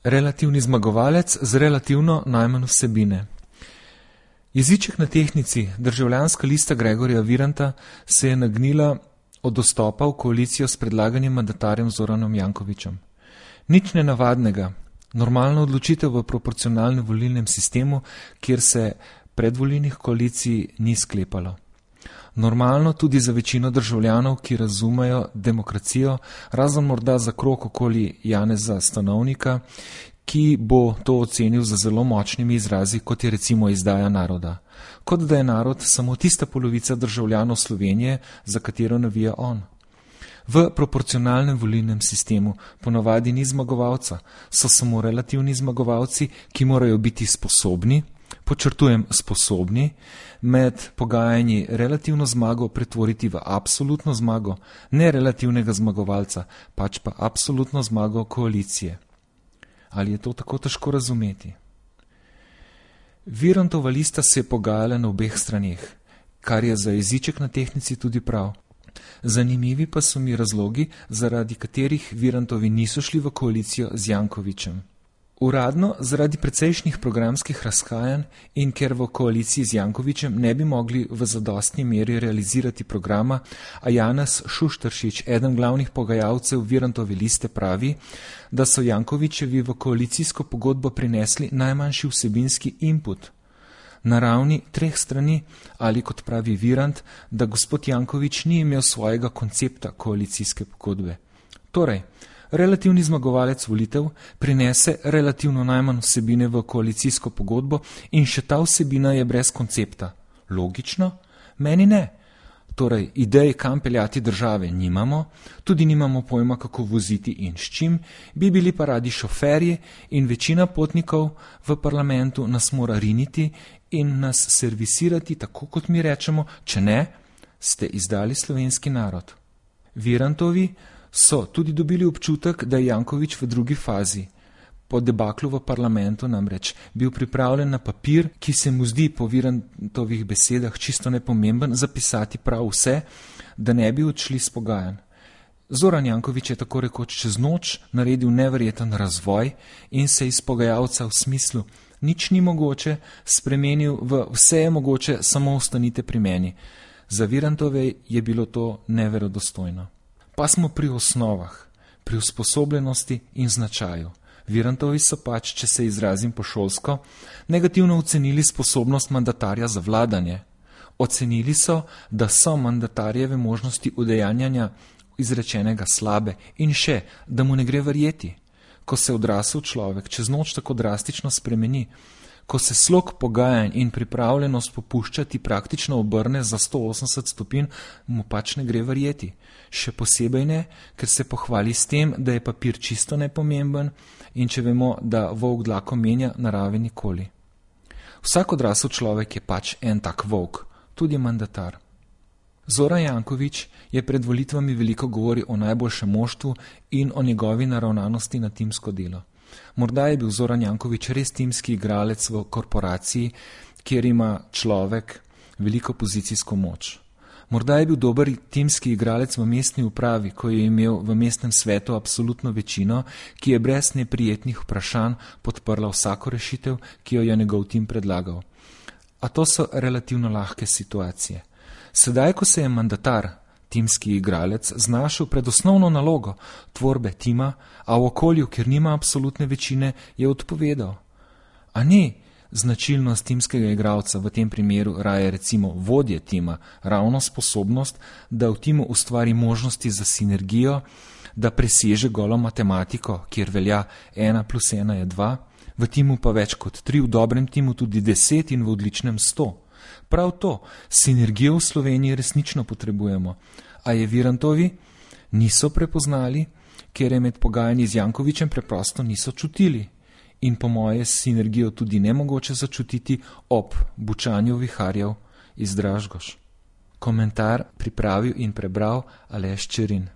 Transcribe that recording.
Relativni zmagovalec z relativno najmanj vsebine. Jeziček na tehtnici, Državljanska lista Gregorja Viranta, se je nagnila od dostopa v koalicijo s predlaganim mandatarjem Zoranom Jankovićem. Nič nenavadnega, normalna odločitev v proporcionalnem volilnem sistemu, kjer se predvolilnih koalicij ni sklepalo. Normalno tudi za večino državljanov, ki razumejo demokracijo, razen morda za krog okoli Janeza Stanovnika, ki bo to ocenil za zelo močnimi izrazi, kot je recimo izdaja naroda. Kot da je narod samo tista polovica državljanov Slovenije, za katero navija on. V proporcionalnem volilnem sistemu ponavadi ni zmagovalca, so samo relativni zmagovalci, ki morajo biti sposobni, podčrtujem sposobni, med pogajanji relativno zmago pretvoriti v absolutno zmago, ne relativnega zmagovalca, pač pa absolutno zmago koalicije. Ali je to tako težko razumeti? Virantova lista se je pogajala na obeh straneh, kar je za jeziček na tehtnici tudi prav. Zanimivi pa so mi razlogi, zaradi katerih Virantovi niso šli v koalicijo z Jankovićem. Uradno zaradi precejšnjih programskih razhajanj in ker v koaliciji z Jankovićem ne bi mogli v zadostni meri realizirati programa, a Janez Šušteršič, eden glavnih pogajalcev Virantove liste, pravi, da so Jankovićevi v koalicijsko pogodbo prinesli najmanjši vsebinski input. Na ravni 3 strani ali, kot pravi Virant, da gospod Janković ni imel svojega koncepta koalicijske pogodbe. Torej, relativni zmagovalec volitev prinese relativno najmanj vsebine v koalicijsko pogodbo in še ta vsebina je brez koncepta. Logično? Meni ne. Torej, idej, kam peljati države, nimamo, tudi nimamo pojma, kako voziti in s čim, bi bili pa radi šoferji in večina potnikov v parlamentu nas mora riniti in nas servisirati tako, kot mi rečemo, če ne, ste izdali slovenski narod. Virantovi so tudi dobili občutek, da je Janković v drugi fazi. Po debaklu v parlamentu namreč bil pripravljen na papir, ki se mu zdi po Virantovih besedah čisto nepomemben, zapisati prav vse, da ne bi odšli s pogajanj. Zoran Janković je tako rekoč čez noč naredil neverjeten razvoj in se iz pogajalca v smislu nič ni mogoče spremenil v vse je mogoče, samo ostanite pri meni. Za Virantove je bilo to neverodostojno. Pa smo pri osnovah, pri usposobljenosti in značaju. Virantovi so pač, če se izrazim po šolsko, negativno ocenili sposobnost mandatarja za vladanje. Ocenili so, da so mandatarjeve možnosti udejanjanja izrečenega slabe in še, da mu ne gre verjeti. Ko se odrasel človek čez noč tako drastično spremeni, ko se slog pogajanj in pripravljenost popuščati praktično obrne za 180 stopinj, mu pač ne gre verjeti. Še posebej ne, ker se pohvali s tem, da je papir čisto nepomemben in če vemo, da volk dlako menja, narave nikoli. Vsak odrasel človek je pač en tak volk, tudi mandatar. Zoran Janković je pred volitvami veliko govoril o najboljšem moštvu in o njegovi naravnanosti na timsko delo. Morda je bil Zoran Janković res timski igralec v korporaciji, kjer ima človek veliko pozicijsko moč. Morda je bil dober timski igralec v mestni upravi, ko je imel v mestnem svetu absolutno večino, ki je brez neprijetnih vprašanj podprla vsako rešitev, ki jo je njegov tim predlagal. A to so relativno lahke situacije. Sedaj, ko se je mandatar, timski igralec, znašel pred osnovno nalogo tvorbe tima, a v okolju, kjer nima absolutne večine, je odpovedal. A ni značilnost timskega igralca, v tem primeru raje recimo vodje tima, ravno sposobnost, da v timu ustvari možnosti za sinergijo, da preseže golo matematiko, kjer velja 1 + 1 je 2, v timu pa več kot 3, v dobrem timu tudi 10 in v odličnem 100. Prav to, sinergijo v Sloveniji resnično potrebujemo. A je Virantovi niso prepoznali, ker je med pogajanji z Jankovićem preprosto niso čutili. In po moje sinergijo tudi nemogoče začutiti ob bučanju viharjev iz Dražgoš. Komentar pripravil in prebral Aleš Čerin.